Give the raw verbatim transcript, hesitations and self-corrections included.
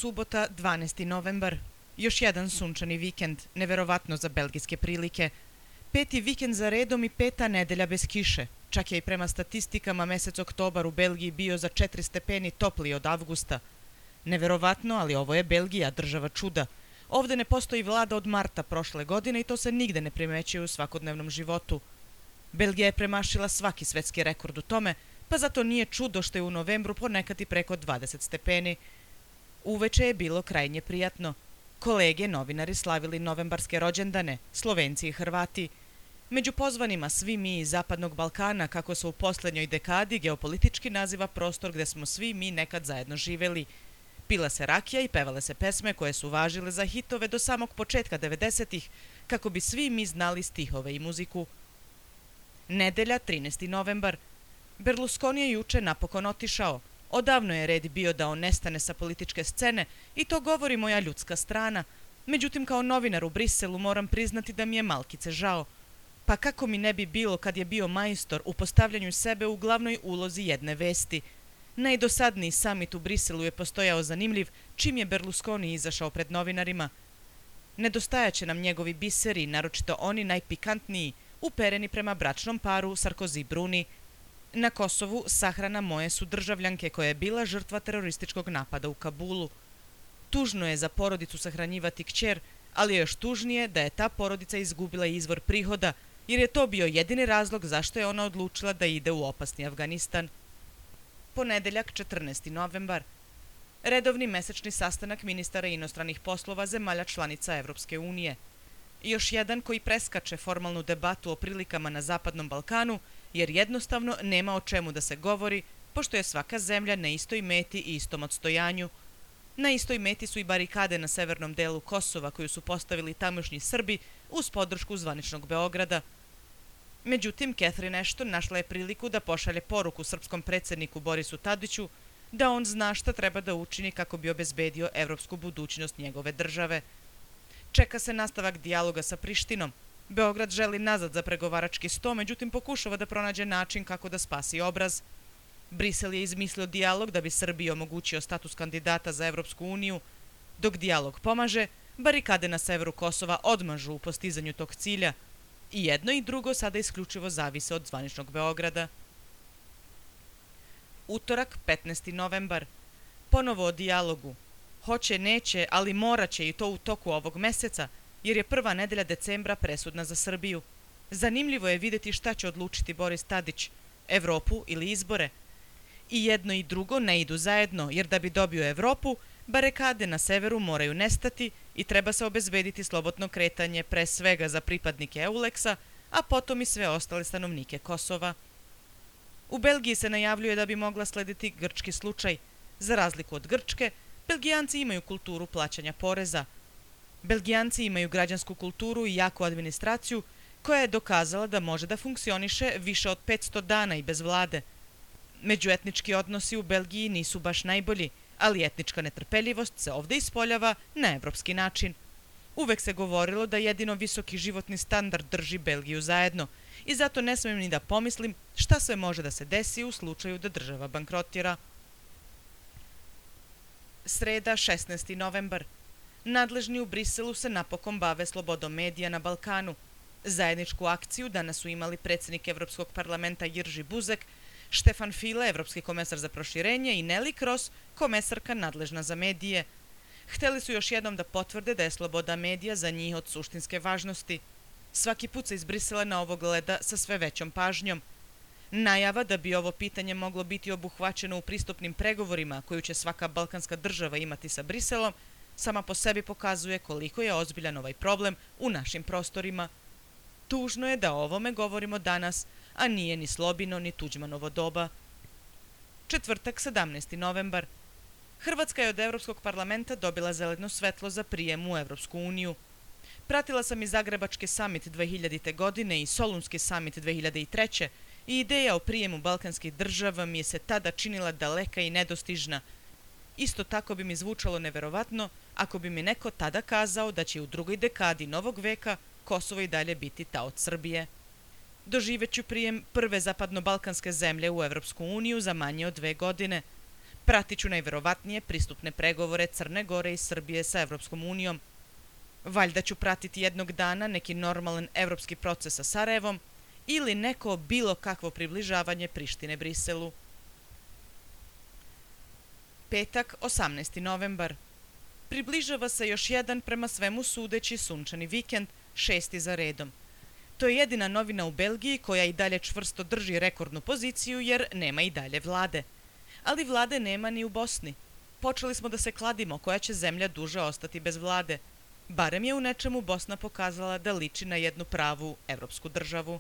Subota, dvanaesti novembar. Još jedan sunčani vikend, neverovatno za belgijske prilike. Peti vikend za redom i peta nedelja bez kiše. Čak je i prema statistikama mesec oktobar u Belgiji bio za četiri stepeni topliji od avgusta. Neverovatno, ali ovo je Belgija, država čuda. Ovde ne postoji vlada od marta prošle godine i to se nigde ne primećuje u svakodnevnom životu. Belgija je premašila svaki svetski rekord u tome, pa zato nije čudo što je u novembru ponekad i preko dvadeset stepeni. Uveče je bilo krajnje prijatno. Kolege, novinari slavili novembarske rođendane, Slovenci i Hrvati. Među pozvanima svi mi iz Zapadnog Balkana, kako se u poslednjoj dekadi geopolitički naziva prostor gde smo svi mi nekad zajedno živeli. Pila se rakija i pevale se pesme koje su važile za hitove do samog početka devedesetih, kako bi svi mi znali stihove i muziku. Nedelja, trinaesti novembar. Berlusconi je juče napokon otišao. Odavno je red bio da on nestane sa političke scene i to govori moja ljudska strana. Međutim, kao novinar u Briselu moram priznati da mi je malkice žao. Pa kako mi ne bi bilo kad je bio majstor u postavljanju sebe u glavnoj ulozi jedne vesti. Najdosadniji samit u Briselu je postojao zanimljiv čim je Berlusconi izašao pred novinarima. Nedostajaće nam njegovi biseri, naročito oni najpikantniji, upereni prema bračnom paru Sarkozy-Bruni. Na Kosovu sahrana moje su državljanke koja je bila žrtva terorističkog napada u Kabulu. Tužno je za porodicu sahranjivati kćer, ali je još tužnije da je ta porodica izgubila izvor prihoda, jer je to bio jedini razlog zašto je ona odlučila da ide u opasni Afganistan. Ponedeljak, četrnaesti novembar. Redovni mesečni sastanak ministara inostranih poslova zemalja članica Evropske unije. Još jedan koji preskače formalnu debatu o prilikama na Zapadnom Balkanu, jer jednostavno nema o čemu da se govori, pošto je svaka zemlja na istoj meti i istom odstojanju. Na istoj meti su i barikade na severnom delu Kosova koju su postavili tamošnji Srbi uz podršku zvaničnog Beograda. Međutim, Catherine Ashton našla je priliku da pošalje poruku srpskom predsjedniku Borisu Tadiću da on zna šta treba da učini kako bi obezbedio evropsku budućnost njegove države. Čeka se nastavak dijaloga sa Prištinom. Beograd želi nazad za pregovarački sto, međutim pokušava da pronađe način kako da spasi obraz. Brisel je izmislio dijalog da bi Srbiji omogućio status kandidata za Evropsku uniju. Dok dijalog pomaže, barikade na severu Kosova odmažu u postizanju tog cilja. I jedno i drugo sada isključivo zavise od zvaničnog Beograda. Utorak, petnaesti novembar. Ponovo o dijalogu. Hoće, neće, ali moraće i to u toku ovog meseca, jer je prva nedelja decembra presudna za Srbiju. Zanimljivo je vidjeti šta će odlučiti Boris Tadić, Evropu ili izbore. I jedno i drugo ne idu zajedno, jer da bi dobio Evropu, barikade na severu moraju nestati i treba se obezbediti slobodno kretanje pre svega za pripadnike Euleksa, a potom i sve ostale stanovnike Kosova. U Belgiji se najavljuje da bi mogla slediti grčki slučaj. Za razliku od Grčke, Belgijanci imaju kulturu plaćanja poreza. Belgijanci imaju građansku kulturu i jaku administraciju koja je dokazala da može da funkcioniše više od petsto dana i bez vlade. Međuetnički odnosi u Belgiji nisu baš najbolji, ali etnička netrpeljivost se ovde ispoljava na evropski način. Uvek se govorilo da jedino visoki životni standard drži Belgiju zajedno i zato ne smijem ni da pomislim šta sve može da se desi u slučaju da država bankrotira. Sreda, šesnaesti novembar. Nadležni u Briselu se napokon bave slobodom medija na Balkanu. Zajedničku akciju danas su imali predsjednik Evropskog parlamenta Jirži Buzek, Štefan File, evropski komesar za proširenje, i Nelly Kroes, komesarka nadležna za medije. Hteli su još jednom da potvrde da je sloboda medija za njih od suštinske važnosti. Svaki put se iz Brisela na ovo gleda sa sve većom pažnjom. Najava da bi ovo pitanje moglo biti obuhvaćeno u pristupnim pregovorima koju će svaka balkanska država imati sa Briselom, sama po sebi pokazuje koliko je ozbiljan ovaj problem u našim prostorima. Tužno je da o ovome govorimo danas, a nije ni Slobino ni Tuđmanovo doba. Četvrtak, sedamnaesti novembar. Hrvatska je od Evropskog parlamenta dobila zeleno svetlo za prijem u Evropsku uniju. Pratila sam i Zagrebački samit dve hiljadite. godine i Solunski samit dve hiljade treće. i ideja o prijemu balkanskih država mi je se tada činila daleka i nedostižna. Isto tako bi mi zvučalo neverovatno ako bi mi neko tada kazao da će u drugoj dekadi novog veka Kosovo i dalje biti taoc Srbije. Doživeću prijem prve zapadno-balkanske zemlje u Evropsku uniju za manje od dve godine. Pratiću najverovatnije pristupne pregovore Crne Gore i Srbije sa Evropskom unijom. Valjda ću pratiti jednog dana neki normalan evropski proces sa Sarajevom ili neko bilo kakvo približavanje Prištine Briselu. Petak, osamnaesti novembar. Približava se još jedan prema svemu sudeći sunčani vikend, šesti za redom. To je jedina novina u Belgiji koja i dalje čvrsto drži rekordnu poziciju jer nema i dalje vlade. Ali vlade nema ni u Bosni. Počeli smo da se kladimo koja će zemlja duže ostati bez vlade. Barem je u nečemu Bosna pokazala da liči na jednu pravu evropsku državu.